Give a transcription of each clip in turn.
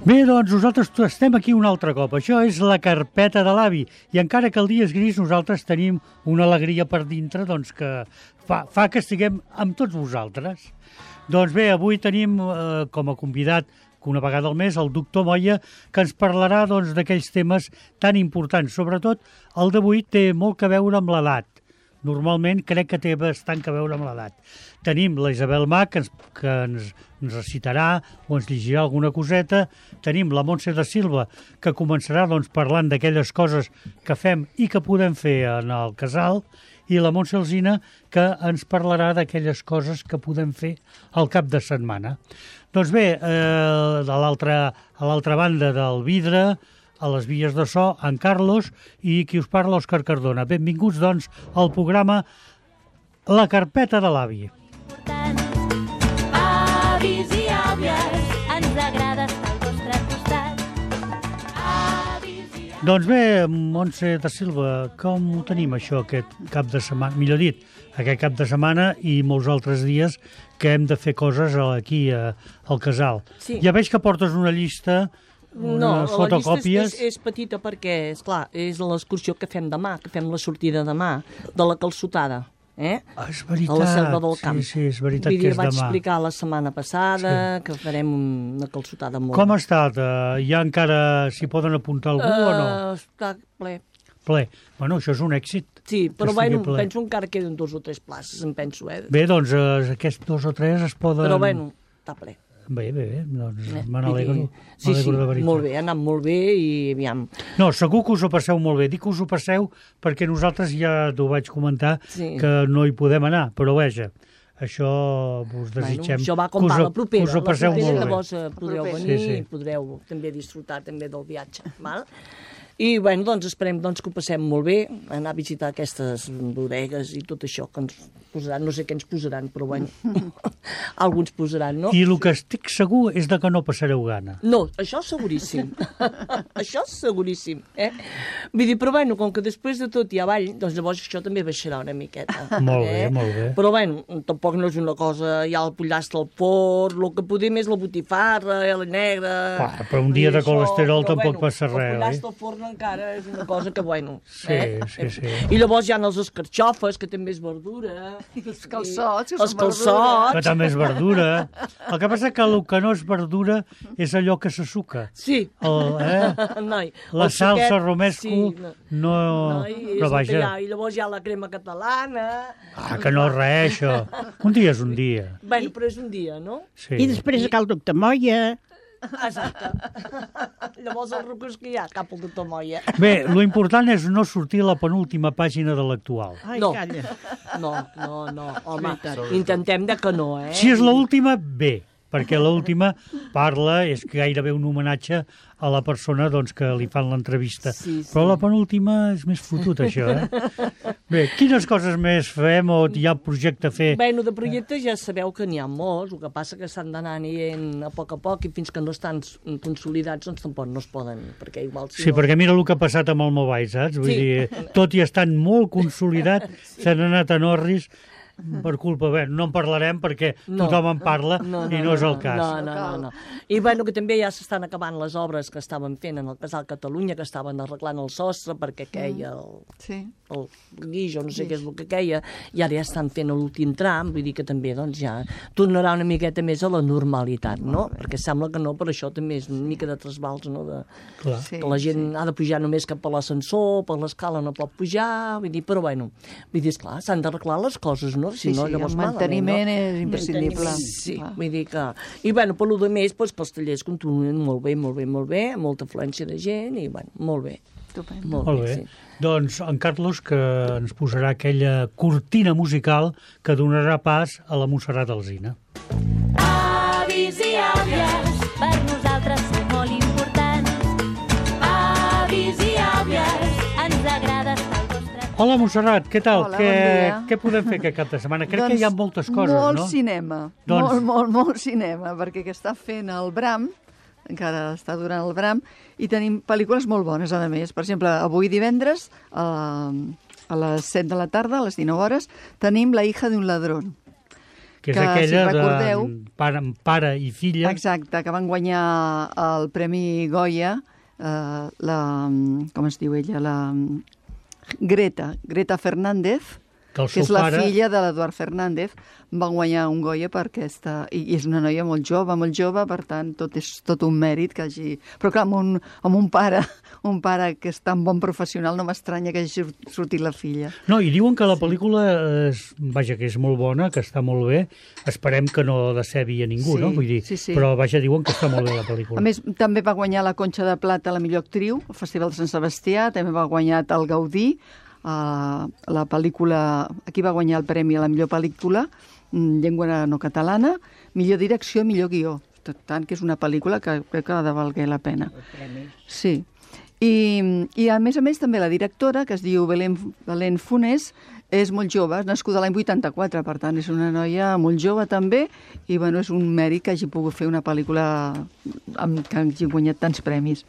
Bé, doncs nosaltres estem aquí un altre cop. Això és la carpeta de l'avi. I encara que el dia és gris, nosaltres tenim una alegria per dintre doncs, que fa que estiguem amb tots vosaltres. Doncs bé, avui tenim com a convidat que una vegada al mes el doctor Moya, que ens parlarà doncs, d'aquells temes tan importants. Sobretot, el d'avui té molt que veure amb l'edat. Normalment crec que té bastant que veure amb l'edat. Tenim la Isabel Mà, que ens recitarà o ens llegirà alguna coseta. Tenim la Montse de Silva, que començarà doncs, parlant d'aquelles coses que fem i que podem fer en el casal. I la Montse Alsina, que ens parlarà d'aquelles coses que podem fer al cap de setmana. Doncs bé, a l'altra banda del vidre, a les vies de so, en Carlos, i qui us parla, Òscar Cardona. Benvinguts, doncs, al programa La Carpeta de l'Avi. Avis i àvies, ens agrada estar al vostre costat. Doncs bé, Montse de Silva, com ho tenim això aquest cap de setmana? Millor dit, aquest cap de setmana i molts altres dies que hem de fer coses aquí al casal. Sí. Ja veig que portes una llista, unes fotocòpies. La llista és petita perquè, esclar, és l'excursió que fem demà, que fem la sortida demà, de la calçotada. És veritat, a la Selva del Camp. Sí, és veritat que és demà. Vaig explicar la setmana passada que farem una calçotada molt... Com ha estat? Ja encara s'hi poden apuntar algú o no? Està ple. Ple. Bueno, això és un èxit. Sí, però bueno, penso encara queden 2 o 3 places, em penso, Bé, doncs aquests 2 o 3 es poden... Però bueno, està ple. Bé, doncs me n'alegro. Sí, de veritat. molt bé, ha anat molt bé i aviam. No, segur que us ho passeu molt bé. Dic que us ho passeu perquè nosaltres ja t'ho vaig comentar que no hi podem anar, però vaja, això us desitgem això va com va, la propera. Us ho passeu molt bé. Llavors podreu venir i podreu també disfrutar també del viatge, val? I, bueno, doncs esperem que ho passem molt bé, anar a visitar aquestes bodegues i tot això que ens posaran, no sé què ens posaran, però, bueno, alguns posaran, no? I el que estic segur és de que no passareu gana. No, això seguríssim. Això seguríssim, Vull dir, però, bueno, com que després de tot hi ha ball, doncs llavors això també baixarà una miqueta. Molt bé, molt bé. Però, bueno, tampoc no és una cosa, hi ha el pollastre al forn, el que podem és la botifarra, la negra... Però un dia de colesterol tampoc passa res, el pollastre al forn encara és una cosa que, bueno... Sí. I llavors hi ha els escarxofes, que també és verdura. Els calçots, els calçots. Que també és verdura. El que passa que el que no és verdura és allò que se suca. Sí. La salsa romesco no... Però vaja... I llavors hi ha la crema catalana... que no és res, això. Un dia és un dia. Bueno, però és un dia, no? Sí. I després cal el doctor Moya... Exacte. Llavors el rucos que hi ha, cap al doctor Moya. Bé, lo important és no sortir a la penúltima pàgina de l'actual. Ai, no. Calla. No. Home, intentem de que no, Si és l'última, bé, perquè l'última parla, és gairebé un homenatge a la persona doncs, que li fan l'entrevista. Sí. Però la penúltima és més fotut, això, Bé, quines coses més fem o hi ha projecte a fer? Bueno, de projectes ja sabeu que n'hi ha molts, el que passa que s'han d'anar anant a poc i fins que no estan consolidats doncs tampoc no es poden, perquè igual... Sí, perquè mira el que ha passat amb el Mobile, saps? Vull dir, tot i estant molt consolidat, s'han anat a Norris per culpa, bé, no en parlarem perquè tothom en parla i no és el cas. No. I bueno, que també ja s'estan acabant les obres que estaven fent en el Casal Catalunya, que estaven arreglant el sostre perquè queia el guix o no sé què és el que queia, i ara ja estan fent l'últim tram, vull dir que també doncs ja tornarà una miqueta més a la normalitat, no? Perquè sembla que no, però això també és una mica de trasbals, no? Que la gent ha de pujar només cap a l'ascensor, per l'escala no pot pujar, vull dir, però bueno, vull dir, esclar, s'han d'arreglar les coses, no? Sí, el manteniment és imprescindible. Sí, vull dir que... I, bueno, per lo de més, doncs, que els tallers continuen molt bé, molta afluència de gent, i, bueno, molt bé. Molt bé. Sí. Doncs en Carlos, que ens posarà aquella cortina musical que donarà pas a la Montserrat Alsina. Avis i àvies, per nosaltres sou molt importants. Avis i àvies, ens agrada estar al vostre... Hola, Montserrat, què tal? Hola, bon dia. Què podem fer aquest cap de setmana? Crec que hi ha moltes coses, molt no? Cinema, molt cinema, perquè que està fent el Bram, encara està durant el Bram, i tenim pel·lícules molt bones, a més. Per exemple, avui divendres, a les 7 de la tarda, a les 19 hores, tenim La hija de un ladrón, que és aquella si recordeu, de pare i filla. Exacte, que van guanyar el Premi Goya, com es diu ella, Greta Fernández, que és la filla de l'Eduard Fernández, va guanyar un Goya per aquesta... I és una noia molt jove, per tant, és tot un mèrit que hagi... Però clar, amb un pare que és tan bon professional, no m'estranya que hagi sortit la filla. No, i diuen que la pel·lícula, que és molt bona, que està molt bé. Esperem que no decebi a ningú, no? Vull dir, però diuen que està molt bé la pel·lícula. A més, també va guanyar la Conxa de Plata la millor actriu, al Festival de Sant Sebastià, també va guanyar el Gaudí, la pel·lícula... Aquí va guanyar el premi a la millor pel·lícula, llengua no catalana, millor direcció, millor guió. Tant que és una pel·lícula que crec que ha de valer la pena. Sí. I a més també la directora, que es diu Belén Funes, és molt jove, és nascuda l'any 84, per tant és una noia molt jove també, i bueno, és un mèrit que hagi pogut fer una pel·lícula que hagi guanyat tants premis.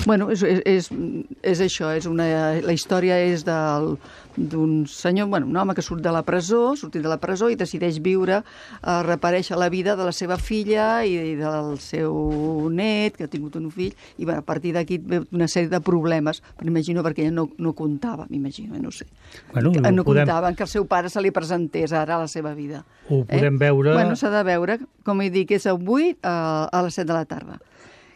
Bueno, és això, la història és d'un senyor, un home que surt de la presó, i decideix viure, reaparèixer la vida de la seva filla i del seu net, que ha tingut un fill, i a partir d'aquí ve una sèrie de problemes, però imagino perquè ella no comptava, no sé. No comptava que el seu pare se li presentés ara a la seva vida. Ho podem veure... Bueno, s'ha de veure, com he dit, és avui a les 7 de la tarda.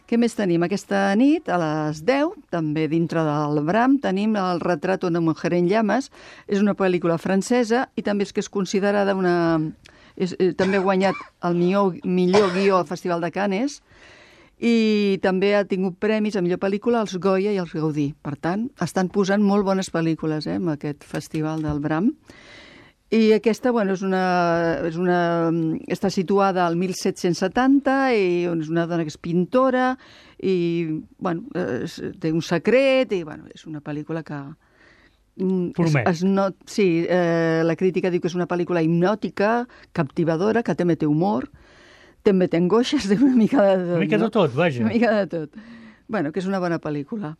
Què més tenim? Aquesta nit, a les 10, també dintre del Bram, tenim el Retrato de una mujer en llamas. És una pel·lícula francesa i també és que és considerada també ha guanyat el millor guió al Festival de Cannes i també ha tingut premis a millor pel·lícula als Goya i als Gaudí. Per tant, estan posant molt bones pel·lícules en aquest Festival del Bram. I aquesta, està situada al 1770 i és una dona que és pintora i, té un secret i, és una pel·lícula que... Promet. La crítica diu que és una pel·lícula hipnòtica, captivadora, que també té humor, també té angoixes, té una mica de tot. Una mica de tot, vaja. Una mica de tot. Que és una bona pel·lícula.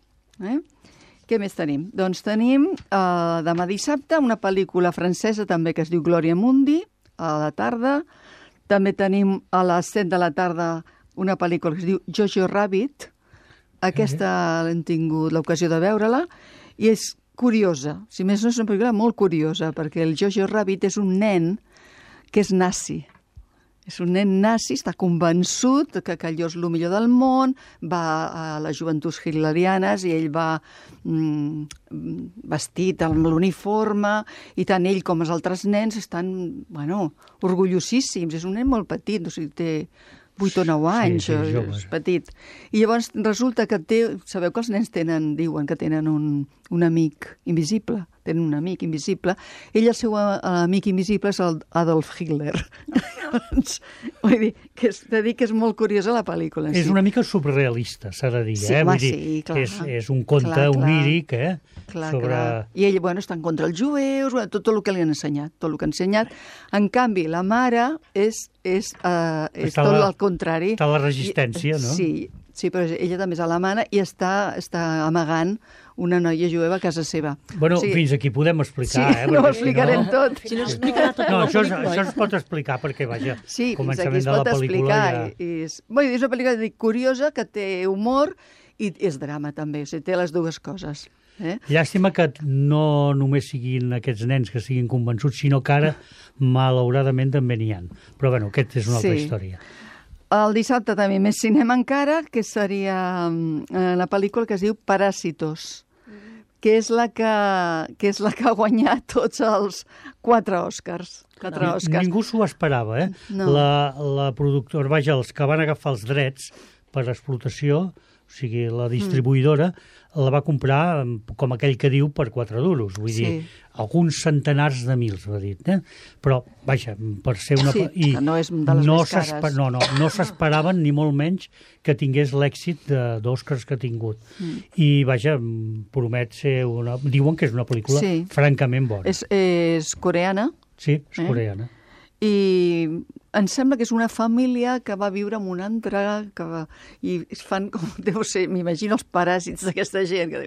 Què més tenim? Doncs tenim demà dissabte una pel·lícula francesa també que es diu Glòria Mundi, a la tarda. També tenim a les 7 de la tarda una pel·lícula que es diu Jojo Rabbit. Aquesta l'hem tingut l'ocasió de veure-la i és curiosa. Si més no, és una pel·lícula molt curiosa perquè el Jojo Rabbit és un nen que és nazi. És un nen nazi, està convençut que allò és el millor del món, va a les joventuts hitlerianes i ell va vestit amb l'uniforme i tant ell com els altres nens estan, orgullosíssims. És un nen molt petit, o sigui, té 8 o 9 anys, és petit. I llavors resulta que sabeu que els nens diuen que tenen un amic invisible, tenen un amic invisible. Ell, el seu amic invisible és el Adolf Hitler. Vull dir, que és molt curiosa la pel·lícula. És una mica surrealista, s'ha de dir, Vull dir, és un conte oníric, I ell, està en contra els jueus, tot el que li han ensenyat, En canvi, la mare és tot el contrari. Està a la resistència, no? Sí, però ella també és alemana i està amagant una noia jueva a casa seva. Fins aquí podem explicar, no ho explicarem tot. Si no explicarà tot. No, això es pot explicar perquè, començament de la pel·lícula és una pel·lícula curiosa que té humor i és drama també, o sigui, té les dues coses. Llàstima que no només siguin aquests nens que siguin convençuts, sinó que ara, malauradament, també n'hi ha. Però, aquesta és una altra història. El dissabte també més cinema encara, que seria la pel·lícula que es diu Parásitos, que és la que ha guanyat tots els 4 Oscars. Ningú s'ho esperava, No. La productora, els que van agafar els drets per explotació, o sigui, la distribuïdora, la va comprar, com aquell que diu, per 4 duros. Vull dir, alguns centenars de mils, va dir. Però, per ser una... que no és de les més cares. No s'esperaven, ni molt menys, que tingués l'èxit d'Oscars que ha tingut. I, promet ser una... Diuen que és una pel·lícula francament bona. És coreana. Sí, és coreana. I em sembla que és una família que va viure en una altra, i fan com, deu ser, m'imagino els paràsits d'aquesta gent. Que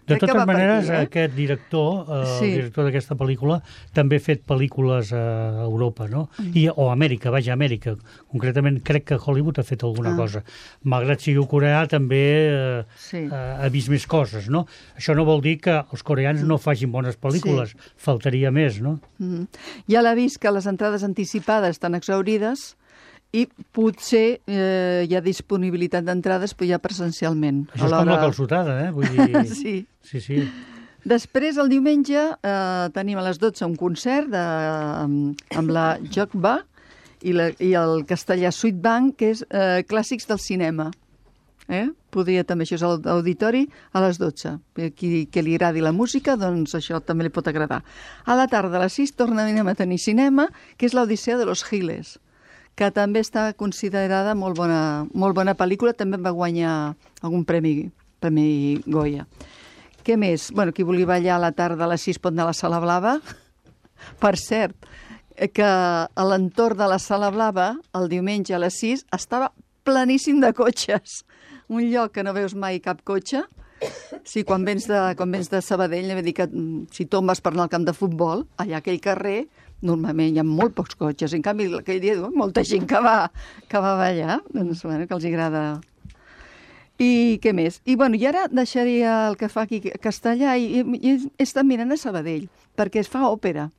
de totes maneres, aquest director, el director d'aquesta pel·lícula, també ha fet pel·lícules a Europa, no? O a Amèrica, vaja, a Amèrica. Concretament, crec que Hollywood ha fet alguna cosa. Malgrat sigui coreà, també ha vist més coses, no? Això no vol dir que els coreans no facin bones pel·lícules, faltaria més, no? Ja l'ha vist que les entrades anticipades estan exhaurides i potser hi ha disponibilitat d'entrades però ja presencialment. Això és com la calçotada, Vull dir... Sí. Després, el diumenge, tenim a les 12 un concert amb la Jokba i el castellà Sweet Bank, que és clàssics del cinema. Podria també, això és l'auditori, a les 12. Qui li agradi la música, doncs això també li pot agradar. A la tarda, a les 6, tornem a tenir cinema, que és l'Odissea de los Giles, que també està considerada molt bona pel·lícula, també va guanyar algun premi Goya. Què més? Bueno, qui vulgui ballar a la tarda a les 6 pot anar a la Sala Blava. Per cert, que a l'entorn de la Sala Blava, el diumenge a les 6, estava planíssim de cotxes. Un lloc que no veus mai cap cotxe. Sí, quan vens de Sabadell, vull dir que si tombes per anar al camp de futbol, allà aquell carrer, normalment hi ha molt pocs cotxes. En canvi, aquell dia molta gent que va ballar, doncs, bueno, que els agrada. I què més? I ara deixaria el que fa aquí a Castellà i he estat mirant a Sabadell, perquè es fa òpera.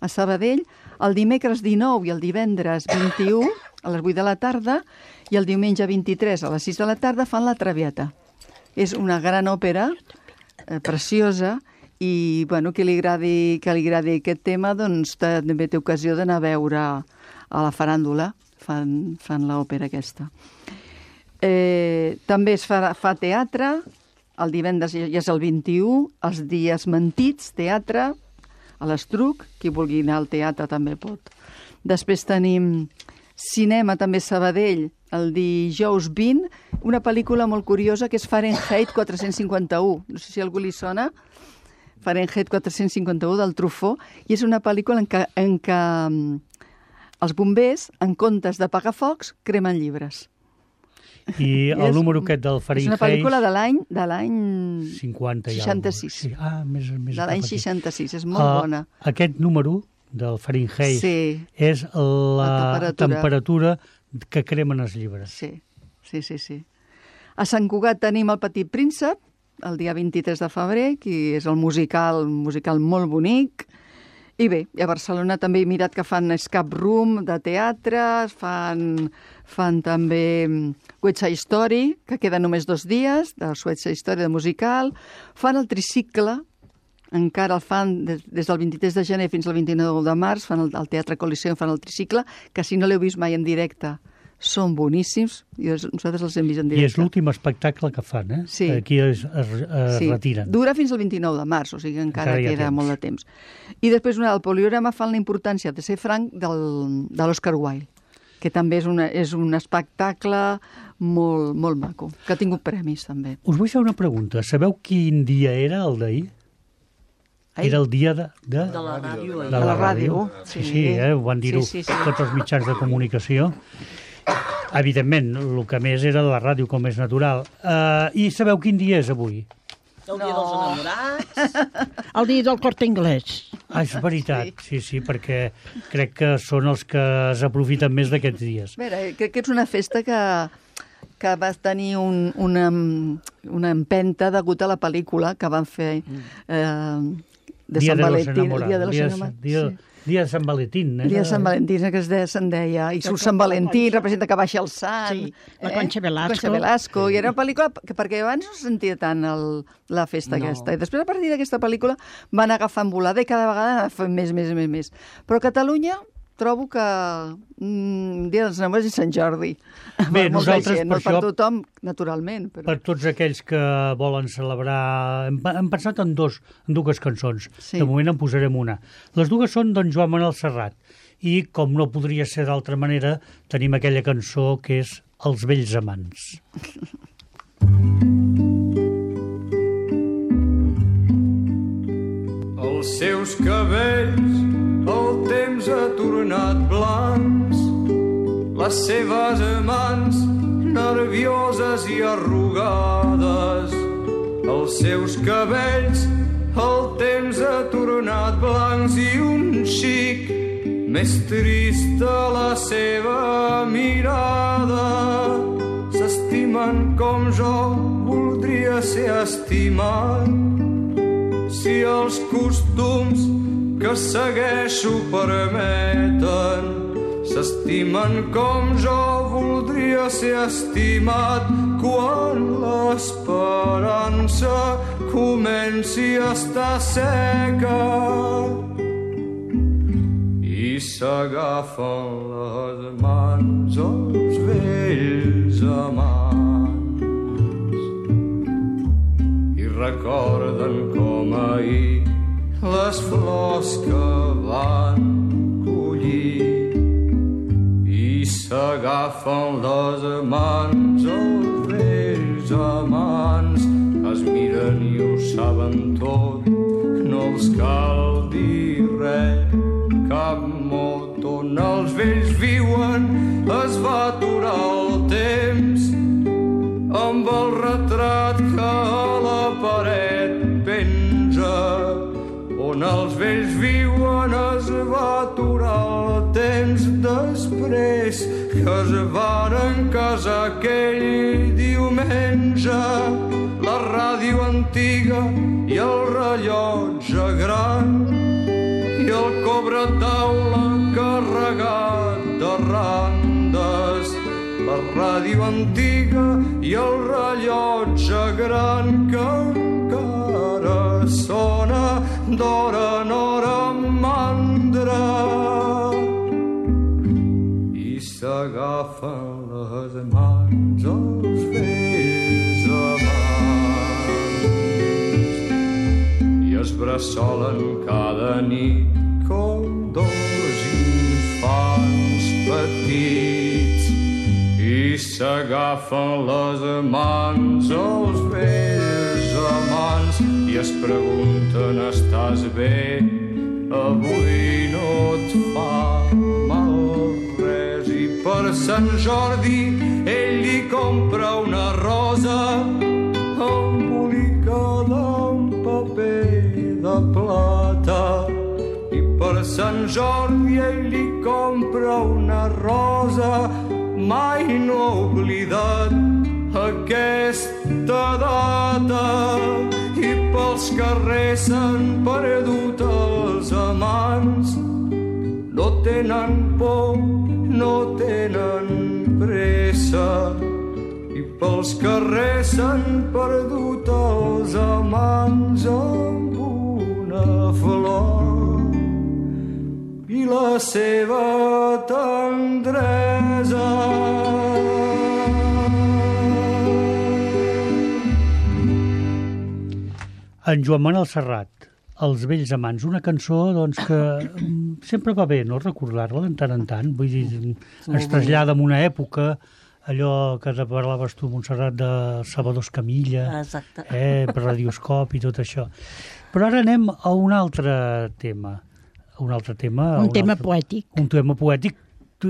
A Sabadell, el dimecres 19 i el divendres 21, a les 8 de la tarda, i el diumenge 23 a les 6 de la tarda fan La Traviata. És una gran òpera, preciosa, i que li agradi aquest tema, doncs també té ocasió d'anar a veure a la faràndula, fan l'òpera aquesta. També es fa teatre, el divendres ja és el 21, els dies mentits, teatre, a l'Estruc, qui vulgui anar al teatre també pot. Després tenim cinema, també Sabadell, el dijous 20, una pel·lícula molt curiosa que és Fahrenheit 451. No sé si a algú li sona. Fahrenheit 451 del Truffaut, i és una pel·lícula en què els bombers, en comptes d'apagar focs, cremen llibres. I el número aquest del Fahrenheit... És una pel·lícula de l'any 50 i 66. Sí. Més de l'any 66, és molt bona. Aquest número del Fahrenheit és la temperatura que cremen els llibres. Sí. A Sant Cugat tenim El Petit Príncep, el dia 23 de febrer, que és el musical molt bonic. I bé, a Barcelona també he mirat que fan escape room de teatre, fan també West Side Story, que queda només 2 dies, de West Side Story de musical, fan el tricicle, encara el fan des del 23 de gener fins al 29 de març, fan el Teatre Coliseum, fan el tricicle, que si no l'heu vist mai en directe, són boníssims, i nosaltres els hem vist en directe. I és l'últim espectacle que fan, Sí. Aquí es retiren. Dura fins al 29 de març, o sigui que encara queda molt de temps. I després el Poliorama fan la importància de ser franc de l'Oscar Wilde, que també és un espectacle molt, molt maco, que ha tingut premis també. Us vull fer una pregunta. Sabeu quin dia era el d'ahir? Era el dia de la ràdio. De la ràdio. Sí, ho van dir-ho tots els mitjans de comunicació. Evidentment, el que més era la ràdio, com és natural. I sabeu quin dia és avui? El dia dels enamorats. El dia del Corte Inglés. És veritat, sí, perquè crec que són els que s'aprofiten més d'aquests dies. A veure, crec que és una festa que va tenir una empenta degut a la pel·lícula que van fer de Sant Valentín, el dia de los enamorats. Dia de Sant Valentín. El dia de Sant Valentín, que se'n deia. I surt Sant Valentí, representa que baixa el sant. Sí, la Concha Velasco. I era una pel·lícula perquè abans no se sentia tant la festa aquesta. I després, a partir d'aquesta pel·lícula, van agafant volada i cada vegada fan més. Però a Catalunya trobo que Dia dels Enamorats i Sant Jordi. Bé, nosaltres no per tothom, naturalment. Però... Per tots aquells que volen celebrar... Hem pensat en dues cançons. Sí. De moment en posarem una. Les dues són d'en Joan Manuel Serrat. I, com no podria ser d'altra manera, tenim aquella cançó que és Els vells amants. Els seus cabells el temps ha tornat blancs les seves mans nervioses i arrugades, els seus cabells el temps ha tornat blancs i un xic més trista la seva mirada. S'estimen com jo voldria ser estimat, si els costums que segueixo permeten. S'estimen com jo voldria ser estimat quan l'esperança comenci a estar seca i s'agafen les mans els vells amants i recorden com ahir les flors que van collir i s'agafen les mans els vells amants, es miren i ho saben tot, no els cal dir res, cap mot. On els vells viuen es va aturar el temps amb el retrat que a la paret penja. On els vells viuen es va aturar el temps després que es varen casar aquell diumenge. La ràdio antiga i el rellotge gran i el cobretaula carregat de randes. La ràdio antiga i el rellotge gran que encara sona d'hora en hora mandra i s'agafen les mans els vells amants i es bressolen cada nit com dos infants petits i s'agafen les mans els vells amants i es pregunten: estàs bé? Avui no et fa mal res. I per Sant Jordi ell li compra una rosa embolicada en paper de plata. I per Sant Jordi ell li compra una rosa, mai no ha oblidat aquesta data. I pels carrers s'han perdut els amants, no tenen por, no tenen pressa. I pels carrers s'han perdut els amants amb una flor i la seva tendresa. En Joan Manuel Serrat, Els vells amants, una cançó doncs, que sempre va bé no recordar-la de tant en tant, vull dir, ens trasllada en una època, allò que parlaves tu, Montserrat, de Salvador Escamilla, per Radioscop i tot això. Però ara anem a un altre tema. Un tema poètic. Un tema poètic.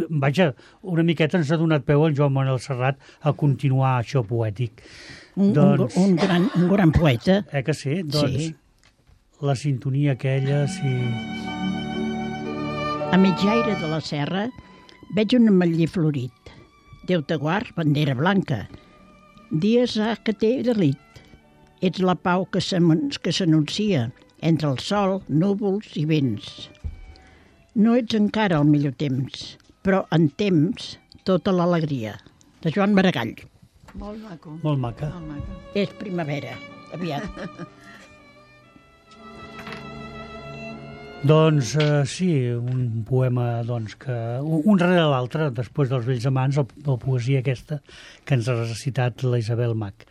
Vaja, una miqueta ens ha donat peu en Joan Manuel Serrat a continuar això poètic. Un gran poeta. Que sí? Doncs sí. La sintonia aquella, sí. A mitjaire de la serra veig un ametller florit. Déu te guard, bandera blanca. Dies ha que t'he delit. Ets la pau que s'anuncia entre el sol, núvols i vents. No ets encara el millor temps, però en temps tota l'alegria. De Joan Maragall. Molt maco. Molt maca. És primavera, aviat. Doncs sí, un poema doncs, que un rere l'altre, després dels vells amants, la poesia aquesta que ens ha recitat la Isabel Mach.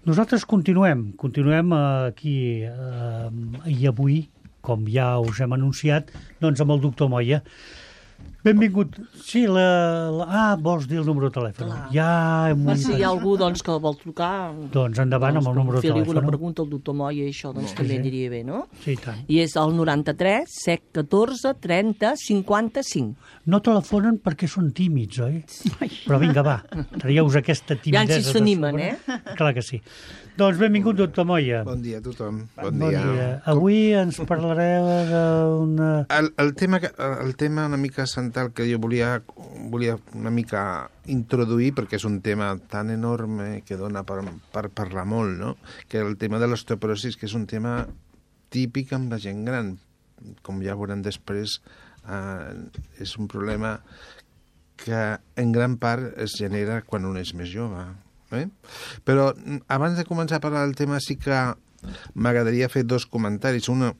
Nosaltres continuem aquí i avui, com ja us hem anunciat, doncs amb el doctor Moya. Benvingut. Sí, vols dir el número de telèfon? Clar. Ja hem Si hi ha algú que vol trucar... Doncs endavant amb el número de telèfon. telèfon. Fer-li alguna pregunta al doctor Moya, això també diria bé, no? Sí, i tant. I és el 93 714 30 55. No telefonen perquè són tímids, oi? Però vinga, va, traieu-vos aquesta timidesa. Ja si s'animen, Clar que sí. Doncs benvingut, doctor Moya. Bon dia a tothom. Bon dia. Avui ens parlareu d'una... El tema una mica central que jo volia una mica introduir, perquè és un tema tan enorme que dona per parlar molt, no? Que el tema de l'osteoporosi, que és un tema típic amb la gent gran. Com ja veurem després, és un problema que en gran part es genera quan un és més jove. Però abans de començar a parlar del tema sí que m'agradaria fer dos comentaris. Un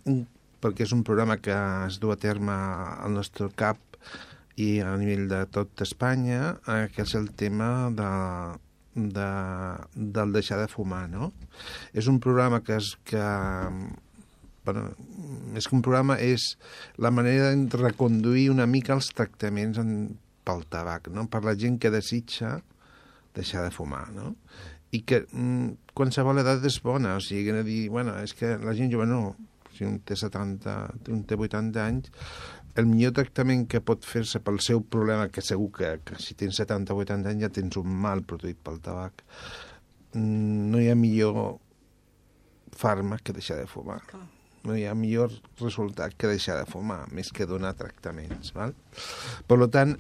perquè és un programa que es du a terme al nostre CAP i a nivell de tot Espanya, que és el tema del deixar de fumar, no? És un programa més que un programa és la manera de reconduir una mica els tractaments pel tabac, no? Per la gent que desitja deixar de fumar, no? I que qualsevol edat és bona, o sigui, que dir, és que la gent jove no, si un té 70, un té 80 anys, el millor tractament que pot fer-se pel seu problema, que segur que si tens 70 o 80 anys ja tens un mal produït pel tabac, no hi ha millor fàrmac que deixar de fumar. No hi ha millor resultat que deixar de fumar, més que donar tractaments, val? Per tant,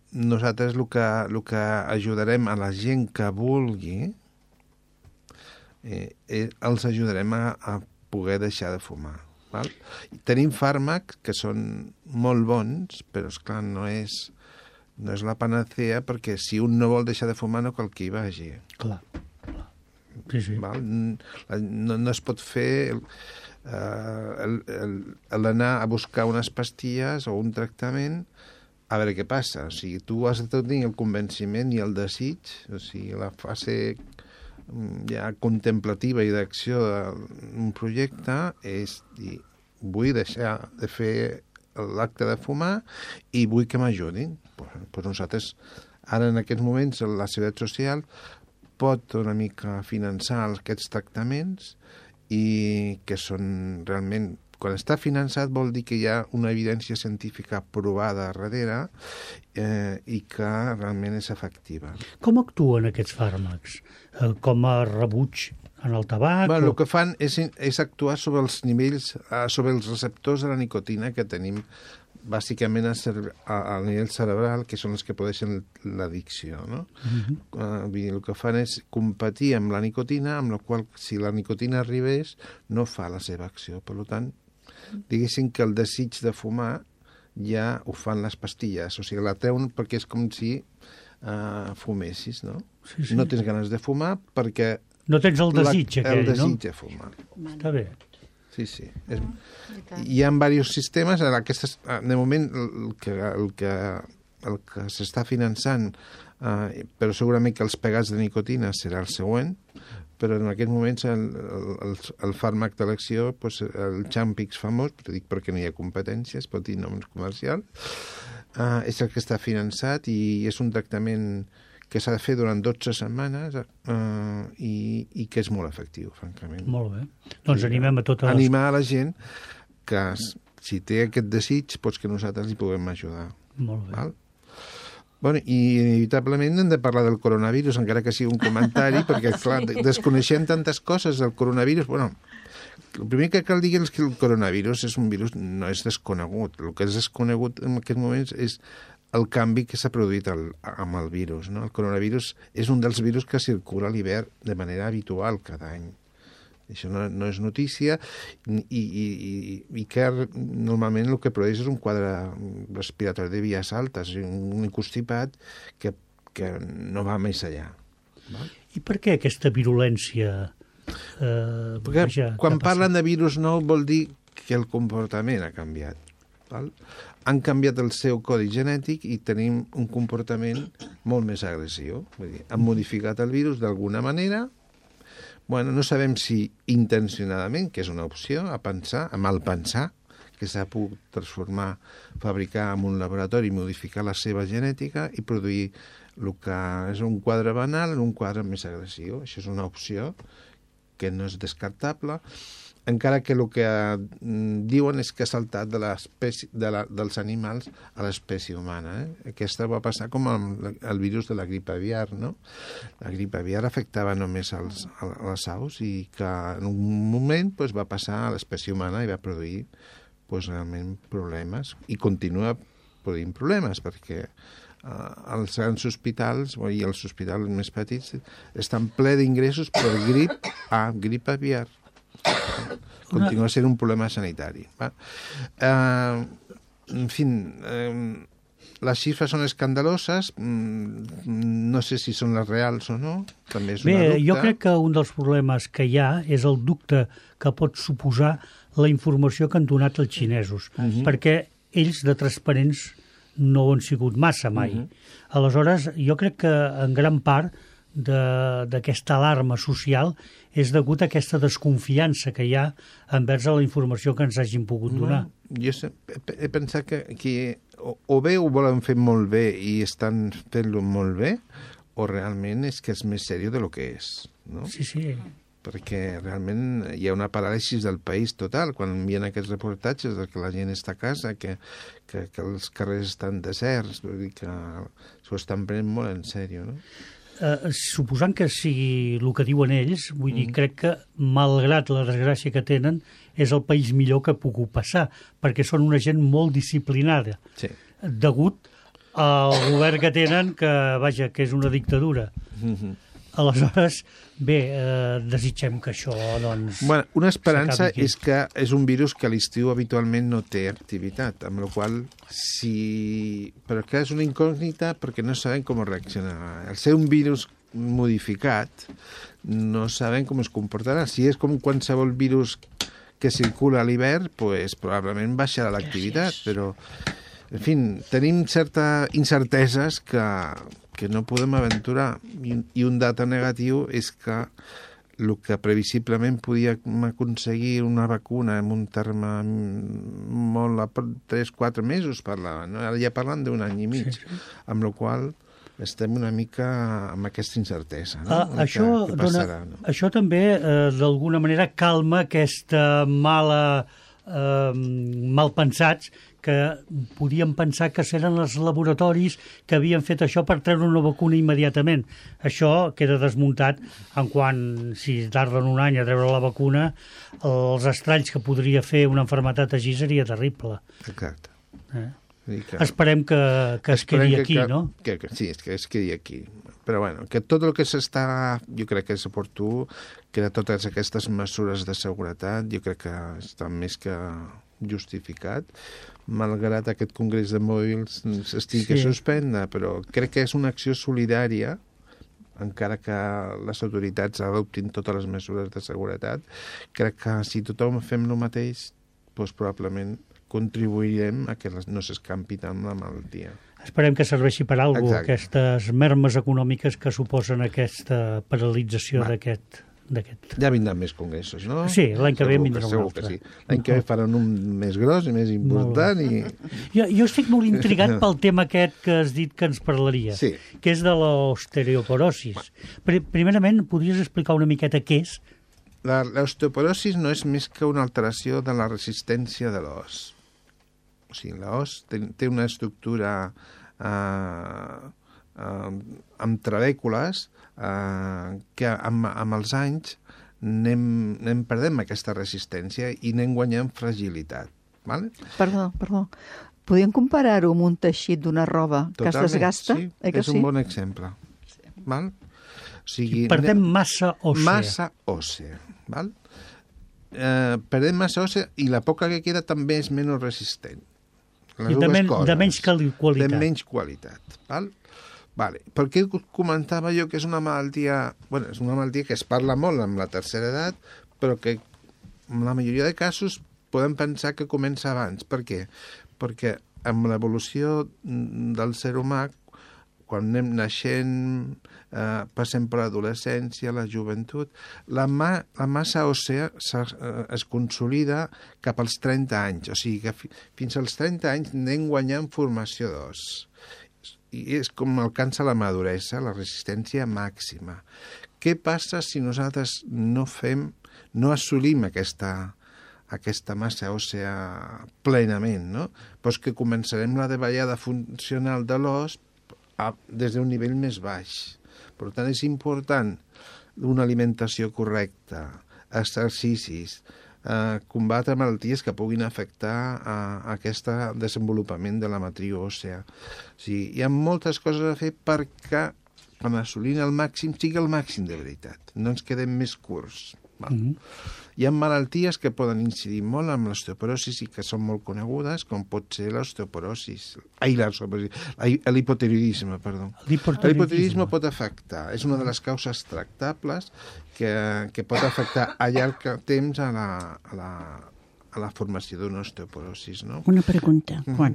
nosaltres el que ajudarem a la gent que vulgui, els ajudarem a poder deixar de fumar. Val? I tenim fàrmacs que són molt bons, però esclar, no és la panacea, perquè si un no vol deixar de fumar no cal que hi vagi. Clar. Sí, sí. Val? No es pot fer l'anar a buscar unes pastilles o un tractament a veure què passa. O sigui, tu has de tenir el convenciment i el desig, o sigui, la fase ja contemplativa i d'acció d'un projecte és dir, vull deixar de fer l'acte de fumar i vull que m'ajudin. Pues nosaltres, ara en aquests moments, la Seguretat Social pot una mica finançar aquests tractaments i que són realment... Quan està finançat vol dir que hi ha una evidència científica provada darrere i que realment és efectiva. Com actuen aquests fàrmacs? Com a rebuig en el tabac? El que fan és actuar sobre els nivells, sobre els receptors de la nicotina que tenim bàsicament a nivell cerebral, que són els que produeixen l'addicció, no? El que fan és competir amb la nicotina, amb la qual, si la nicotina arribés, no fa la seva acció. Per tant, diguéssim que el desig de fumar ja ho fan les pastilles, o sigui, la treuen perquè és com si fumessis, no? Sí. No tens ganes de fumar perquè... No tens el desig aquell, no? El desig de fumar. Està bé. Sí. Hi ha diversos sistemes, de moment el que s'està finançant, però segurament que els pegats de nicotina serà el següent, però en aquests moments el fàrmac d'elecció, el Champix famós, però dic perquè no hi ha competència, es pot dir noms comercials, és el que està finançat i és un tractament que s'ha de fer durant 12 setmanes i que és molt efectiu, francament. Molt bé. Doncs animem a totes... Animar a la gent que, si té aquest desig, que nosaltres li puguem ajudar. Molt bé. Val? Bueno, i inevitablement hem de parlar del coronavirus, encara que sigui un comentari, perquè, clar, desconeixem tantes coses del coronavirus. Bueno, el primer que cal dir és que el coronavirus és un virus, no és desconegut. El que és desconegut en aquests moments és el canvi que s'ha produït amb el virus, no? El coronavirus és un dels virus que circula a l'hivern de manera habitual cada any. Això no és notícia i que normalment el que produeix és un quadre respiratori de vies altes, un constipat que no va més allà. Val? I per què aquesta virulència? Perquè quan parlen de virus nou vol dir que el comportament ha canviat. Val? Han canviat el seu codi genètic i tenim un comportament molt més agressiu. Vull dir, han modificat el virus d'alguna manera. Bueno, no sabem si intencionadament, que és una opció, a mal pensar, que s'ha pogut transformar, fabricar en un laboratori, modificar la seva genètica i produir el que és un quadre banal en un quadre més agressiu. Això és una opció que no és descartable, encara que el que diuen és que ha saltat dels animals a l'espècie humana. Aquesta va passar com el virus de la grip aviar, no? La grip aviar afectava només a les aus i que en un moment va passar a l'espècie humana i va produir realment problemes. I continua produint problemes, perquè els grans hospitals i els hospitals més petits estan ple d'ingressos per grip aviar. Continua sent un problema sanitari. En fi, les xifres són escandaloses, no sé si són les reals o no, també és una dubte. Jo crec que un dels problemes que hi ha és el dubte que pot suposar la informació que han donat els xinesos, perquè ells de transparents no ho han sigut massa mai. Aleshores, jo crec que en gran part d'aquesta alarma social és degut a aquesta desconfiança que hi ha envers a la informació que ens hagin pogut donar. Jo he pensat que o bé ho volen fer molt bé i estan fent-lo molt bé, o realment és que és més seriós del que és. No? Sí. Perquè realment hi ha una paràlisi del país total quan envien aquests reportatges de que la gent està a casa, que els carrers estan deserts, vull dir que s'ho estan prenent molt en sèrio, no? Suposant que sigui el que diuen ells, vull dir, crec que, malgrat la desgràcia que tenen, és el país millor que ha pogut passar, perquè són una gent molt disciplinada, degut al govern que tenen, que és una dictadura. Aleshores, bé, desitgem que això, doncs... Bueno, una esperança és que és un virus que a l'estiu habitualment no té activitat, amb la qual però que és una incògnita perquè no sabem com reaccionarà. Al ser un virus modificat, no sabem com es comportarà. Si és com qualsevol virus que circula a l'hivern, probablement baixarà l'activitat, però, en fi, tenim certes incerteses que no podem aventurar. I un data negatiu és que el que previsiblement podíem aconseguir una vacuna en un terme molt a 3-4 mesos parlaven, no? Ara ja parlen d'un any i mig, amb la qual estem una mica amb aquesta incertesa. No? Això també, d'alguna manera, calma aquesta malpensats que podien pensar que seran els laboratoris que havien fet això per treure una vacuna immediatament. Això queda desmuntat en quant, si tarden un any a treure la vacuna, els estralls que podria fer una malaltia així seria terrible. Exacte. Esperem que es quedi aquí, no? Sí, que es quedi aquí. Però bueno, que tot el que jo crec que és oportú, que de totes aquestes mesures de seguretat, jo crec que està més que justificat, malgrat aquest congrés de mòbils estigui a suspendre, però crec que és una acció solidària, encara que les autoritats adoptin totes les mesures de seguretat. Crec que si tothom fem el mateix, probablement contribuirem a que no s'escampi tant la malaltia. Esperem que serveixi per alguna cosa, aquestes mermes econòmiques que suposen aquesta paralització d'aquest... Ja vindran més congressos, no? Sí, l'any que ve vindrà un altre. L'any que ve faran un més gros i més important. Jo estic molt intrigat pel tema aquest que has dit que ens parlaria, que és de l'osteoporosis. Primerament, podries explicar una miqueta què és? L'osteoporosis no és més que una alteració de la resistència de l'os. O sigui, l'os té una estructura amb trabècules que amb els anys anem perdent aquesta resistència i anem guanyant fragilitat. Vale? Perdó. Podríem comparar-ho amb un teixit d'una roba que es desgasta? Sí, és un bon exemple. Val? O sigui, perdem massa òssea. Massa òssea. Val? Perdem massa òssea i la poca que queda també és menys resistent. I de menys qualitat. De menys qualitat. Val? Vale. Per què comentava jo que és una malaltia... Bueno, és una malaltia que es parla molt amb la tercera edat, però que en la majoria de casos podem pensar que comença abans. Per què? Perquè amb l'evolució del ser humà, quan anem naixent, passem per l'adolescència, la joventut, la massa òssea es consolida cap als 30 anys. O sigui que fins als 30 anys anem guanyant formació d'os. I és com alcança la maduresa, la resistència màxima. Què passa si nosaltres no assolim aquesta massa òssea plenament, no? Doncs que començarem la davallada funcional de l'os des d'un nivell més baix. Per tant, és important una alimentació correcta, exercicis, combatre malalties que puguin afectar aquest desenvolupament de la matriu òssea. O sigui, hi ha moltes coses a fer perquè, quan assolint el màxim, sigui el màxim de veritat. No ens quedem més curts. Hi ha malalties que poden incidir molt amb l'osteoporosi i que són molt conegudes, com pot ser l'hipotiroidisme, perdó. L'hipotiroidisme pot afectar, és una de les causes tractables que pot afectar a llarg temps a la formació d'una osteoporosi, no? Una pregunta, Juan.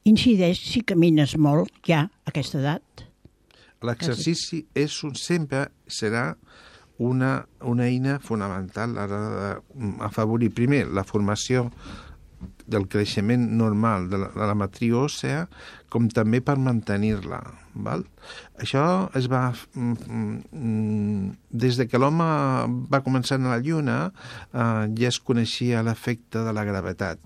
Incideix si camines molt ja a aquesta edat? L'exercici sempre serà una eina fonamental a l'hora d'afavorir primer la formació del creixement normal de la matriu òssea, com també per mantenir-la. Això es va... Des de que l'home va començar a la Lluna, ja es coneixia l'efecte de la gravetat.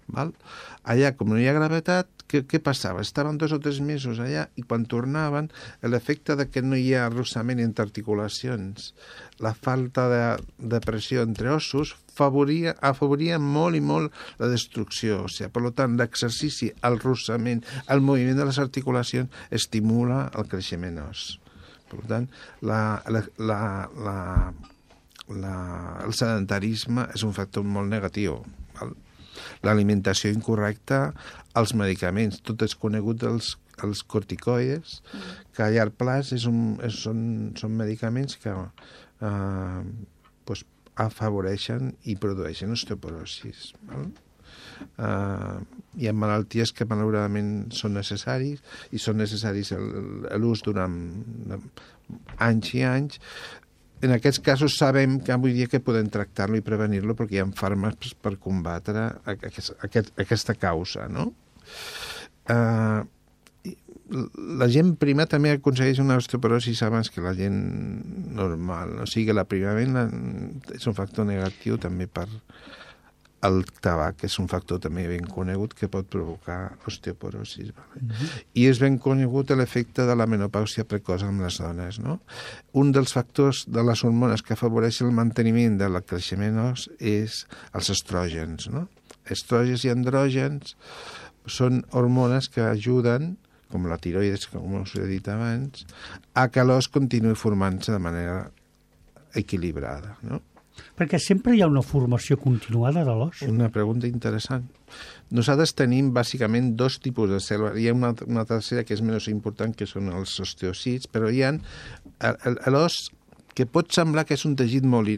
Allà, com no hi ha gravetat, què passava? Estaven 2 o 3 mesos allà i quan tornaven, l'efecte de que no hi ha arrossament entre articulacions, la falta de pressió entre ossos, afavoria molt i molt la destrucció. O sigui, per tant, l'exercici, el arrossament, el moviment de les articulacions estimula el creixement os. Per tant, el sedentarisme és un factor molt negatiu. L'alimentació incorrecta, els medicaments, tot és conegut els corticoides, que a llarg plaç són medicaments que afavoreixen i produeixen osteoporosis. Hi ha malalties que malauradament són necessaris i són necessaris l'ús durant anys i anys. En aquests casos sabem que avui dia que podem tractar-lo i prevenir-lo perquè hi ha fàrmacs per combatre aquesta causa, no? La gent prima també aconsegueix una osteoporosi abans que la gent normal. O sigui que l'aprimament és un factor negatiu també per el tabac, que és un factor també ben conegut que pot provocar osteoporosi. I és ben conegut l'efecte de la menopàusia precoç amb les dones, no? Un dels factors de les hormones que afavoreix el manteniment del creixement os és els estrògens, no? Estrògens i andrògens són hormones que ajuden, com la tiroides, com us he dit abans, a que l'os continuï formant-se de manera equilibrada, no? Perquè sempre hi ha una formació continuada de l'os. Una pregunta interessant. Nosaltres tenim bàsicament 2 tipus de cèl·lules. Hi ha una tercera que és menys important, que són els osteòcits, però hi ha l'os que pot semblar que és un teixit molt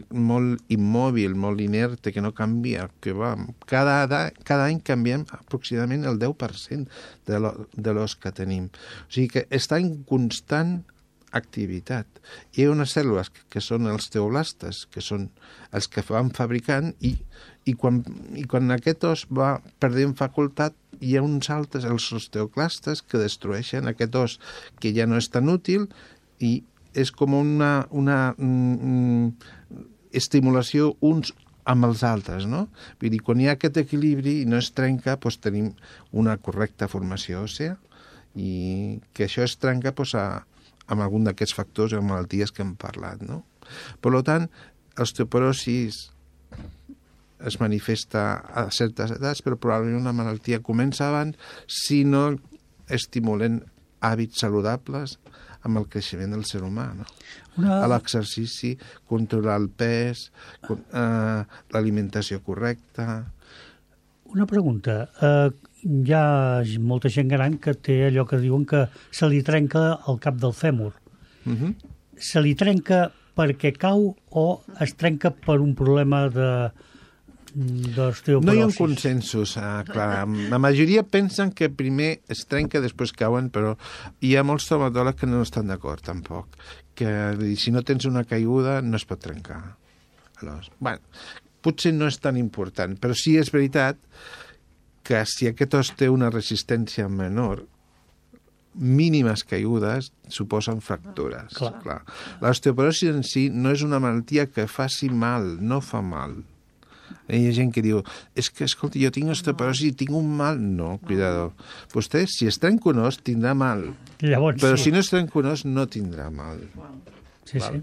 immòbil, molt inerte, que no canvia, que va... Cada any canviem aproximadament el 10% de l'os que tenim. O sigui que està en constant activitat. Hi ha unes cèl·lules que són els teoblastes, que són els que van fabricant i quan aquest os va perdent facultat, hi ha uns altres, els osteoclastes, que destrueixen aquest os que ja no és tan útil i és com una estimulació uns amb els altres, no? Vull dir, quan hi ha aquest equilibri i no es trenca, doncs tenim una correcta formació òssea i que això es trenca amb algun d'aquests factors o malalties que hem parlat, no? Per tant, l'osteoporosi es manifesta a certes edats, però probablement una malaltia comença abans si no estimulen hàbits saludables amb el creixement del ser humà, no? L'exercici, controlar el pes, l'alimentació correcta... Una pregunta. Hi ha molta gent gran que té allò que diuen que se li trenca el cap del fèmur. Se li trenca perquè cau o es trenca per un problema d'osteoporosis. No hi ha un consensos, clar. La majoria pensen que primer es trenca, després cauen, però hi ha molts traumatòlegs que no estan d'acord, tampoc. Que si no tens una caiguda, no es pot trencar. Aleshores, bueno, potser no és tan important, però sí és veritat que si aquest os té una resistència menor, mínimes caigudes suposen fractures. Clar. L'osteoporosi en si no és una malaltia que faci mal, no fa mal. Hi ha gent que diu, és que, escolta, jo tinc osteoporosi i tinc un mal. No, cuidado. Vostè, si es trenca un os, tindrà mal. Llavors, però si no es trenca un os, no tindrà mal. Sí, sí.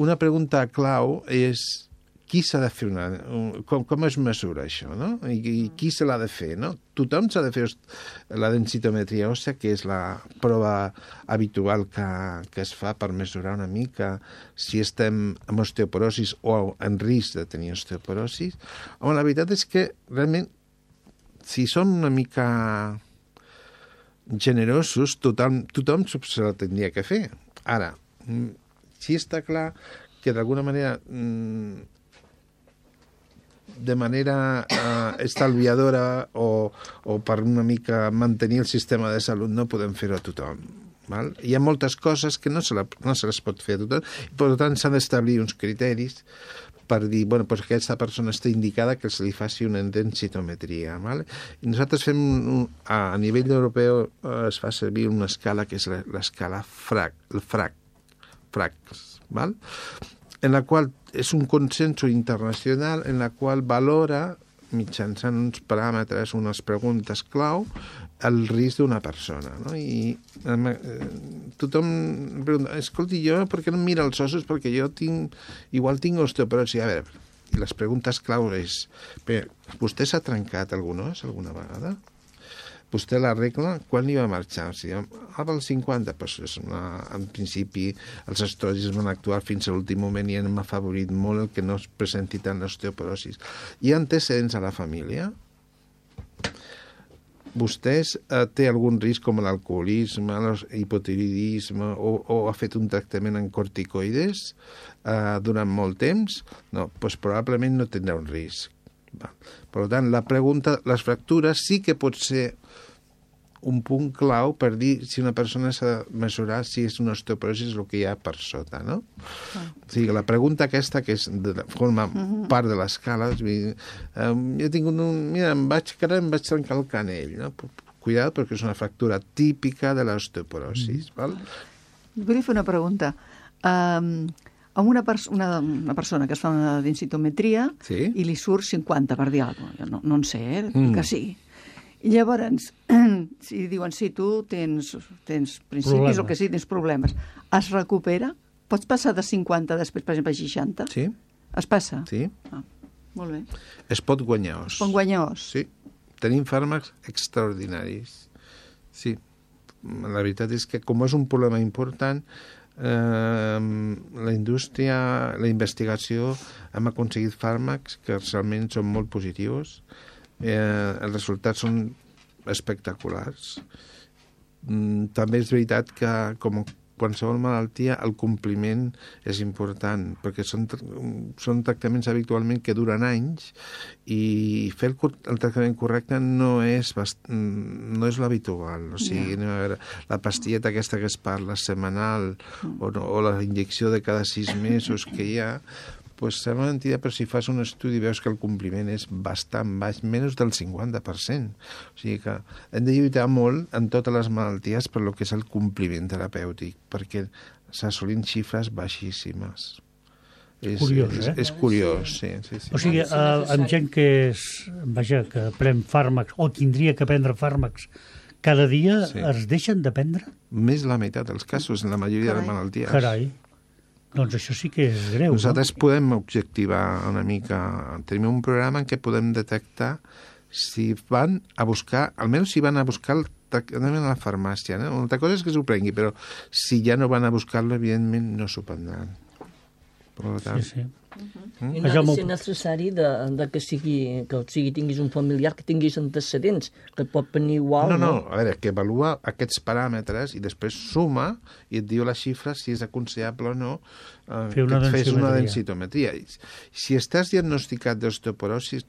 Una pregunta clau és qui s'ha de fer com es mesura això, no? I qui se l'ha de fer, no? Tothom s'ha de fer la densitometria òssea, que és la prova habitual que es fa per mesurar una mica si estem amb osteoporosis o en risc de tenir osteoporosis. Home, la veritat és que realment, si som una mica generosos, tothom se la tindria que fer. Ara, sí està clar que d'alguna manera de manera estalviadora o per una mica mantenir el sistema de salut no podem fer-ho a tothom. Val? Hi ha moltes coses que no se les pot fer a tothom, i per tant s'han d'establir uns criteris per dir, bueno, doncs aquesta persona està indicada que se li faci una densitometria. Val? I nosaltres fem, a nivell europeu es fa servir una escala que és l'escala FRACS, val? En la qual és un consenso internacional en la qual valora, mitjançant uns paràmetres, unes preguntes clau, el risc d'una persona. No? I tothom pregunta, escolti, jo per què no em mira els ossos? Perquè jo igual tinc osteoporosi. A veure, i les preguntes clau és, vostè s'ha trencat algun os alguna vegada? Vostè l'arregla, quan li va marxar? O sigui, als 50, doncs en principi els estudis van actuar fins a l'últim moment i hem afavorit molt el que no es presenti tant l'osteoporosis. Hi ha antecedents a la família? Vostès té algun risc com l'alcoholisme, l'hipotiroidisme o ha fet un tractament en corticoides durant molt temps? No, doncs probablement no tindrà un risc. Per tant, la pregunta, les fractures sí que pot ser un punt clau per dir si una persona s'ha de mesurar si és una osteoporosi el que hi ha per sota, no? O sigui, la pregunta aquesta, que forma part de l'escala, jo he tingut mira, em vaig trencar el canell, no? Cuidado, perquè és una fractura típica de l'osteoporosi, val? Vull fer una pregunta. A una persona que es fa una densitometria i li surt 50, per dir alguna cosa. No en sé, que sí. I llavors, si diuen, sí, tu tens principis o que sí, tens problemes, es recupera? Pots passar de 50 després, per exemple, a 60? Sí. Es passa? Sí. Molt bé. Es pot guanyar os. Es pot guanyar os? Sí. Tenim fàrmacs extraordinaris. Sí. La veritat és que, com és un problema important, la indústria, la investigació, hem aconseguit fàrmacs que realment són molt positius. Els resultats són espectaculars. També és veritat que, com qualsevol malaltia, el compliment és important, perquè són tractaments habitualment que duren anys i fer el tractament correcte no és l'habitual. O sigui, la pastilleta aquesta que es parla setmanal o la injecció de cada 6 mesos que hi ha, pues sembla mentida, però si fas un estudi veus que el compliment és bastant baix, menys del 50%. O sigui que hem de lluitar molt en totes les malalties per lo que és el compliment terapèutic, perquè s'assolint xifres baixíssimes. Curiós, És curiós, sí. O sigui, amb gent que pren fàrmacs o tindria que prendre fàrmacs cada dia, es deixen de prendre? Més la meitat dels casos, en la majoria de les malalties. Carai. Doncs això sí que és greu. Nosaltres podem objectivar una mica. Tenim un programa en què podem detectar si van a buscar, almenys si van a buscar el tractament a la farmàcia. Una altra cosa és que s'ho prengui, però si ja no van a buscar-lo, evidentment no s'ho prendran. Per tant, Sí. I no ha de ser necessari que tinguis un familiar, que tinguis antecedents, que pot venir igual. No, a veure, que avalua aquests paràmetres i després suma i et diu la xifra si és aconsellable o no que et fes una densitometria. Si estàs diagnosticat d'osteoporosi,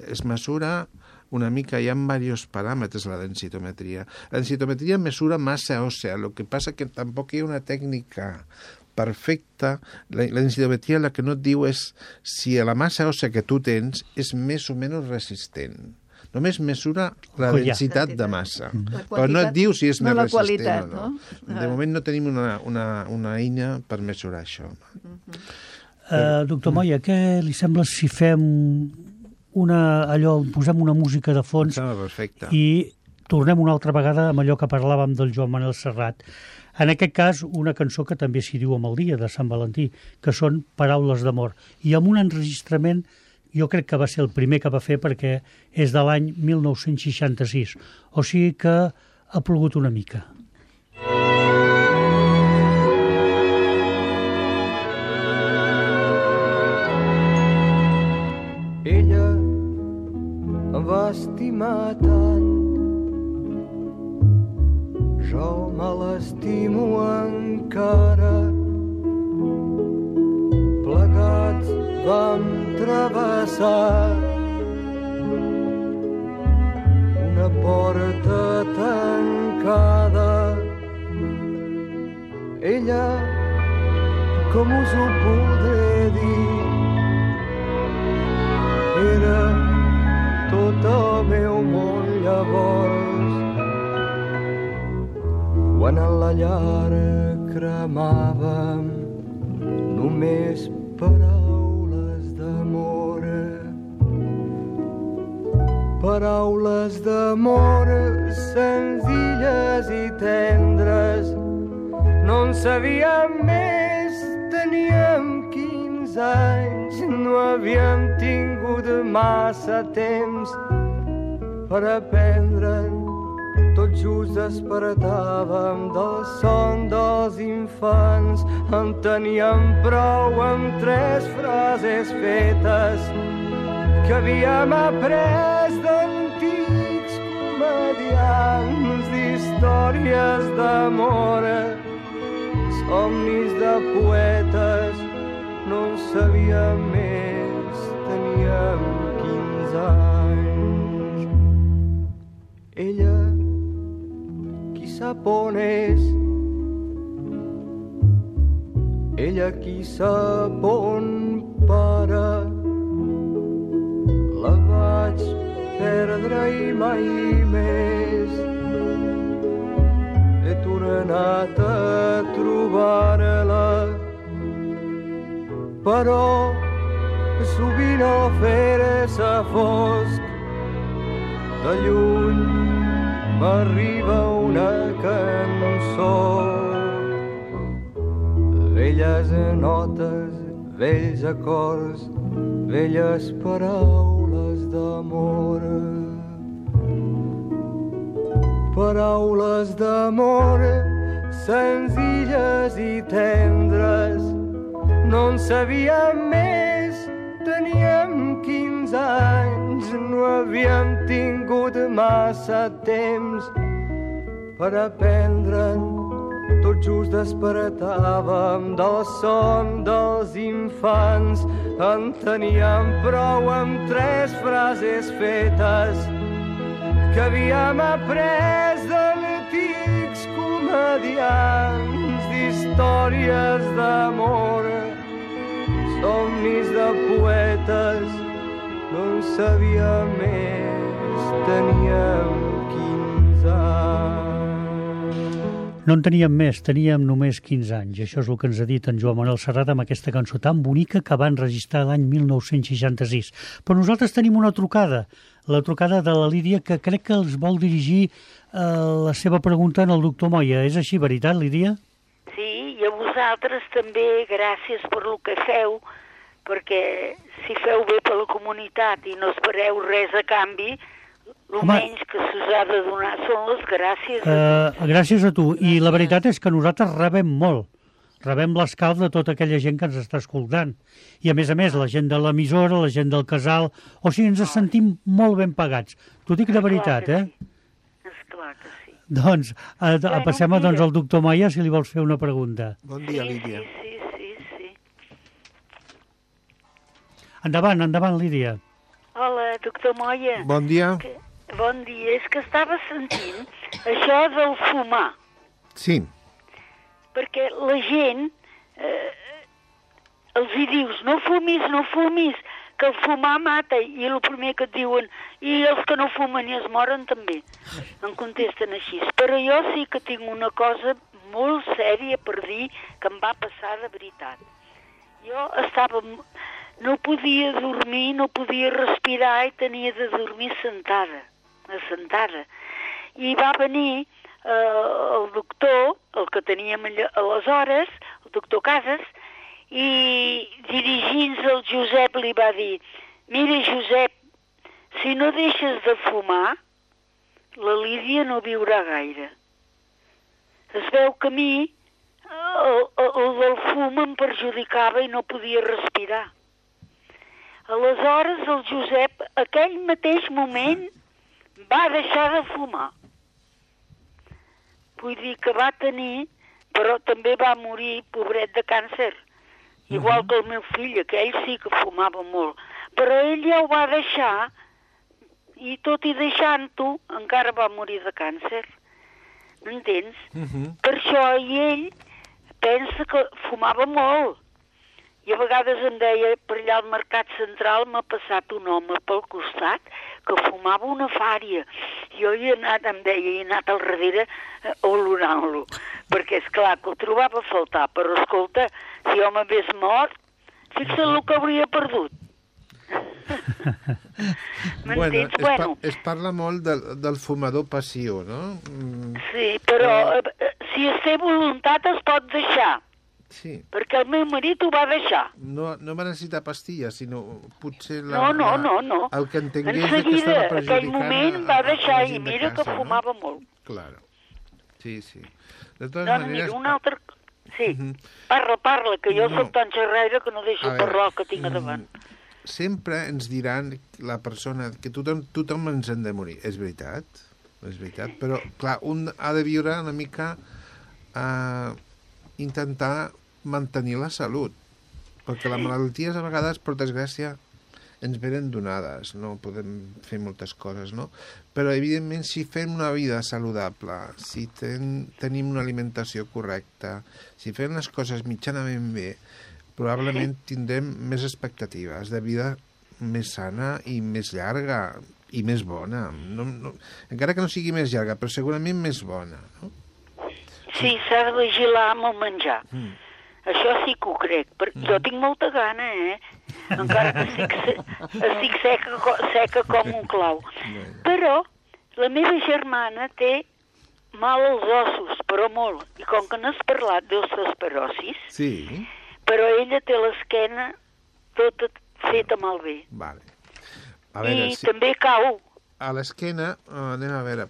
es mesura una mica, hi ha diversos paràmetres la densitometria. La densitometria mesura massa òssea, el que passa que tampoc hi ha una tècnica perfecta. La densitometria el que no et diu és si la massa òssea que tu tens és més o menys resistent. Només mesura la densitat de massa. Però no et diu si és més resistent o no. De moment no tenim una eina per mesurar això. Doctor Moya, què li sembla si fem posem una música de fons i tornem una altra vegada amb allò que parlàvem del Joan Manel Serrat? En aquest cas, una cançó que també s'hi diu amb el dia de Sant Valentí, que són Paraules d'amor. I amb un enregistrament, jo crec que va ser el primer que va fer perquè és de l'any 1966. O sigui que ha plogut una mica. Ella em va estimar tant, jo me l'estimo encara. Plegats vam travessar una porta tancada. Ella, com us ho podré dir, era tot el meu món llavors. Quan a la llar cremàvem només paraules d'amor. Paraules d'amor senzilles i tendres. No en sabíem més, teníem 15 anys, no havíem tingut massa temps per aprendre'n. Tot just despertàvem del son dels infants, en teníem prou amb 3 frases fetes que havíem après d'antics comediants d'històries d'amor, somnis de poetes. No en sabíem més, teníem 15 anys. Ella, qui sap on és? Ella, qui sap on para? La vaig perdre i mai més he tornat a trobar-la. Però sovint al fer-se fosc de lluny m'arriba una cançó. Velles notes, vells acords, velles paraules d'amor. Paraules d'amor senzilles i tendres. No en sabíem més, teníem 15 anys, no havíem tingut massa temps per aprendre'n. Tot just despertàvem del son dels infants, en teníem prou amb 3 frases fetes que havíem après d'antics comediants d'històries d'amor, somnis de poetes. No en sabíem més, teníem 15 anys. No en teníem més, teníem només 15 anys. Això és el que ens ha dit en Joan Manel Serrat amb aquesta cançó tan bonica que va enregistrar l'any 1966. Però nosaltres tenim una trucada, la trucada de la Lídia, que crec que els vol dirigir la seva pregunta al doctor Moya. És així, veritat, Lídia? Sí, i a vosaltres també gràcies per el que feu, perquè si feu bé per la comunitat i no espereu res a canvi, el menys que s'us ha de donar són les gràcies a tu. Gràcies a tu. I la veritat és que nosaltres rebem molt rebem l'escalf de tota aquella gent que ens està escoltant. I a més, la gent de l'emissora, la gent del casal... O sigui, ens sentim molt ben pagats. T'ho dic de veritat, eh? Esclar que sí. Doncs passem al doctor Moya, si li vols fer una pregunta. Bon dia, Lídia. Sí. Endavant, Lídia. Hola, doctor Moya. Bon dia. Bon dia. És que estava sentint això del fumar. Sí. Perquè la gent els hi dius, no fumis, que el fumar mata, i el primer que et diuen, i els que no fumen i es moren també. Em contesten així. Però jo sí que tinc una cosa molt sèria per dir que em va passar de veritat. Jo no podia dormir, no podia respirar i tenia de dormir assentada. I va venir el doctor, el que teníem aleshores, el doctor Casas, i dirigint-se al Josep li va dir: mira, Josep, si no deixes de fumar, la Lídia no viurà gaire. Es veu que a mi el del fum em perjudicava i no podia respirar. Aleshores el Josep, aquell mateix moment, va deixar de fumar. Vull dir que va tenir, però també va morir, pobret, de càncer. Igual que el meu fill, que ell sí que fumava molt. Però ell ja ho va deixar, i tot i deixant-ho, encara va morir de càncer. M'entens? Per això, i ell pensa que fumava molt. I a vegades em deia, per allà al Mercat Central m'ha passat un home pel costat que fumava una fària. Jo he anat al darrere olorant-lo, perquè és clar que ho trobava a faltar, però escolta, si home hagués mort, fixa't el que hauria perdut. Bueno, es parla molt del fumador passiu, no? Sí, però si es té voluntat es pot deixar. Sí. Perquè el meu marit ho va deixar. No va necessitar pastilles, sinó potser No. el que entengués que estava perjudicant aquell moment va deixar i mira que fumava molt. Claro. Sí. De totes maneres... Mira, un altre... Sí, parla, que jo soc tan xerraire que no deixo parlar el que tinc a davant. Sempre ens diran la persona que tothom ens hem de morir. És veritat, però clar, un ha de viure una mica intentar mantenir la salut, perquè les malalties a vegades, per desgràcia, ens venen donades, no podem fer moltes coses, no? Però, evidentment, si fem una vida saludable, si tenim una alimentació correcta, si fem les coses mitjanament bé, probablement tindrem més expectatives de vida més sana i més llarga i més bona. Encara que no sigui més llarga, però segurament més bona, no? Sí, s'ha de vigilar amb el menjar. Això sí que ho crec, perquè jo tinc molta gana, encara que estic seca com un clau. Però la meva germana té mal als ossos, però molt. I com que n'has parlat d'osteoporosis, però ella té l'esquena tota feta malbé. Vale. I també cau. A l'esquena, anem a veure,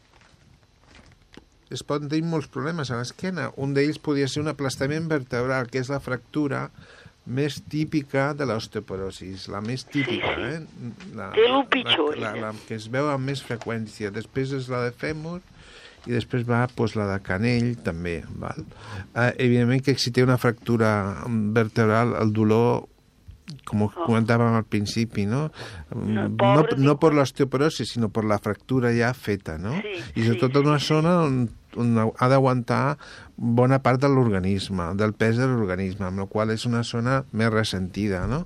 es poden tenir molts problemes a l'esquena. Un d'ells podria ser un aplastament vertebral, que és la fractura més típica de l'osteoporosis, la més típica, Té el pitjor. La que es veu amb més freqüència. Després és la de fèmur i després va la de canell, també. Val? Evidentment que si té una fractura vertebral, el dolor, com comentàvem al principi, no per l'osteoporosis, sinó per la fractura ja feta, no? I sobretot en una zona on ha d'aguantar bona part de l'organisme, del pes de l'organisme, amb la qual és una zona més ressentida, no?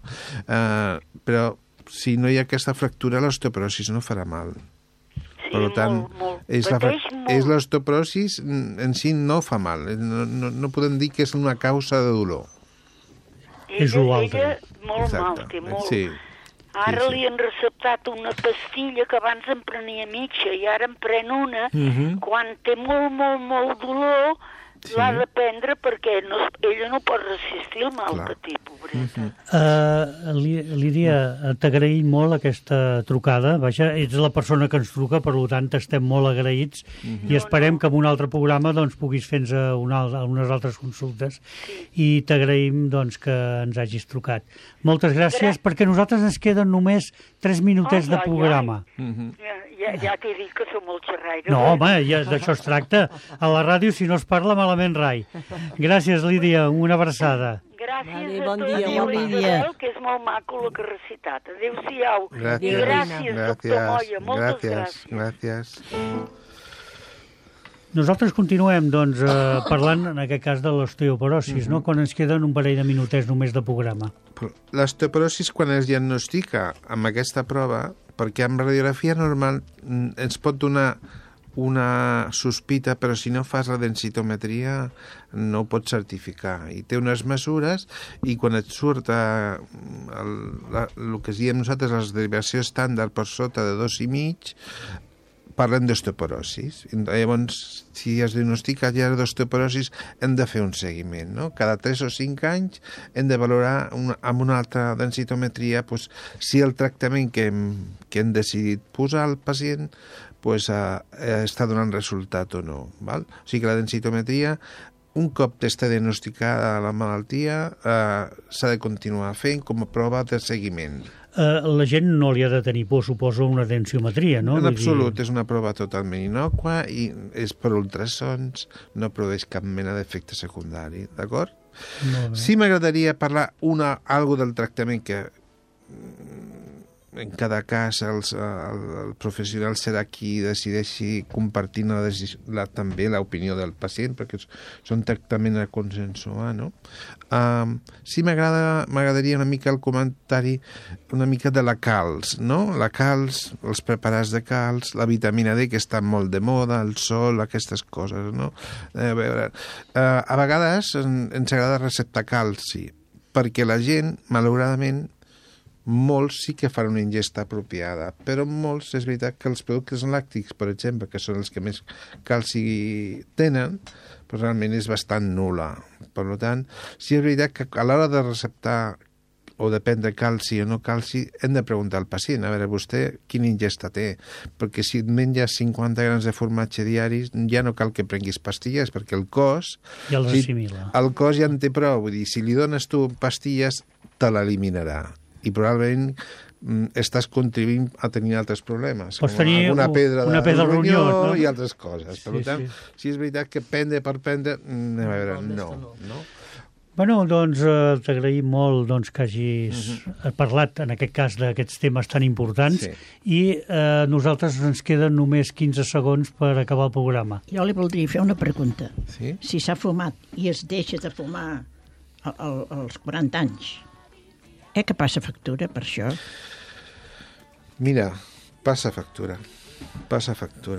Però si no hi ha aquesta fractura, l'osteoporosis no farà mal. Per tant, és l'osteoporosis en si no fa mal. No podem dir que és una causa de dolor. Ella molt mal, té molt. Ara li han receptat una pastilla que abans em prenia mitja i ara em pren una. Quan té molt dolor, l'ha de prendre perquè ella no pot resistir el mal que té, pobreta. Lídia, t'agraïm molt aquesta trucada. Vaja, ets la persona que ens truca, per tant estem molt agraïts i esperem que en un altre programa doncs, puguis fer-nos unes altres consultes i t'agraïm doncs, que ens hagis trucat. Moltes gràcies, perquè a nosaltres ens queden només 3 minutets de programa. Ja t'he dit que som molt xerraire. No, home, d'això es tracta. A la ràdio, si no es parla, malament rai. Gràcies, Lídia, una abraçada. Gràcies bon a dia, tots, Lídia. que és molt maco el que ha recitat. Adéu-siau. Gràcies. I gràcies, doctor Moya. Moltes gràcies. Gràcies. Nosaltres continuem doncs, parlant, en aquest cas, de l'osteoporosis, no? Quan ens queden un parell de minutets només de programa. L'osteoporosis, quan es diagnostica amb aquesta prova, perquè amb radiografia normal ens pot donar una sospita, però si no fas la densitometria no ho pots certificar. I té unes mesures i quan et surt el que diem nosaltres, la derivació estàndard per sota de 2,5, parlen d'osteoporosis. Llavors, si es diagnostica ja d'osteoporosis, hem de fer un seguiment, no? Cada 3 o 5 anys hem de valorar amb una altra densitometria si el tractament que hem decidit posar al pacient està donant resultat o no. Val? O sigui que la densitometria, un cop està diagnosticada la malaltia, s'ha de continuar fent com a prova de seguiment. La gent no li ha de tenir por, suposo, una densitometria, no? En absolut, és una prova totalment innòcua i és per ultrasons, no produeix cap mena d'efecte secundari, d'acord? Sí m'agradaria parlar algo del tractament que en cada cas el professional serà qui decideixi compartir també l'opinió del pacient, perquè són tractament a consensuar, no? Sí m'agradaria una mica el comentari una mica de la calç, no? La calç, els preparats de calç, la vitamina D, que està molt de moda, el sol, aquestes coses, no? A vegades ens agrada receptar calci, perquè la gent, malauradament, molts sí que fan una ingesta apropiada, però molts és veritat que els productes làctics, per exemple, que són els que més calci tenen, però realment és bastant nul·la. Per tant, sí és veritat que a l'hora de receptar o de prendre calci o no calci, hem de preguntar al pacient, a veure, vostè quina ingesta té? Perquè si et menges 50 grams de formatge diaris, ja no cal que prenguis pastilles, perquè el cos... Ja els assimila. El cos ja en té prou, vull dir, si li dones tu pastilles, te l'eliminarà. I probablement estàs contribuint a tenir altres problemes, pots tenir una pedra de ronyó, no? I altres coses. Per tant, si és veritat que prendre per prendre, a veure, no. Bueno, doncs t'agraïm molt que hagis parlat, en aquest cas, d'aquests temes tan importants i nosaltres ens queden només 15 segons per acabar el programa. Jo li voldria fer una pregunta. Sí? Si s'ha fumat i es deixa de fumar als 40 anys, que passa factura per això? Mira, passa factura.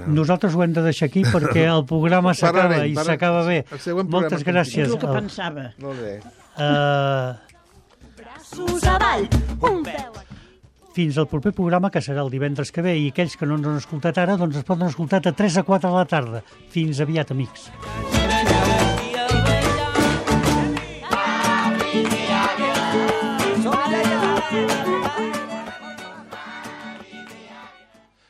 Nosaltres ho hem de deixar aquí perquè el programa s'acaba i s'acaba bé. Moltes gràcies. És el que pensava. Molt bé. Braços avall, un peu. Fins al proper programa, que serà el divendres que ve, i aquells que no ens han escoltat ara, doncs es poden escoltar a 3 a 4 de la tarda. Fins aviat, amics.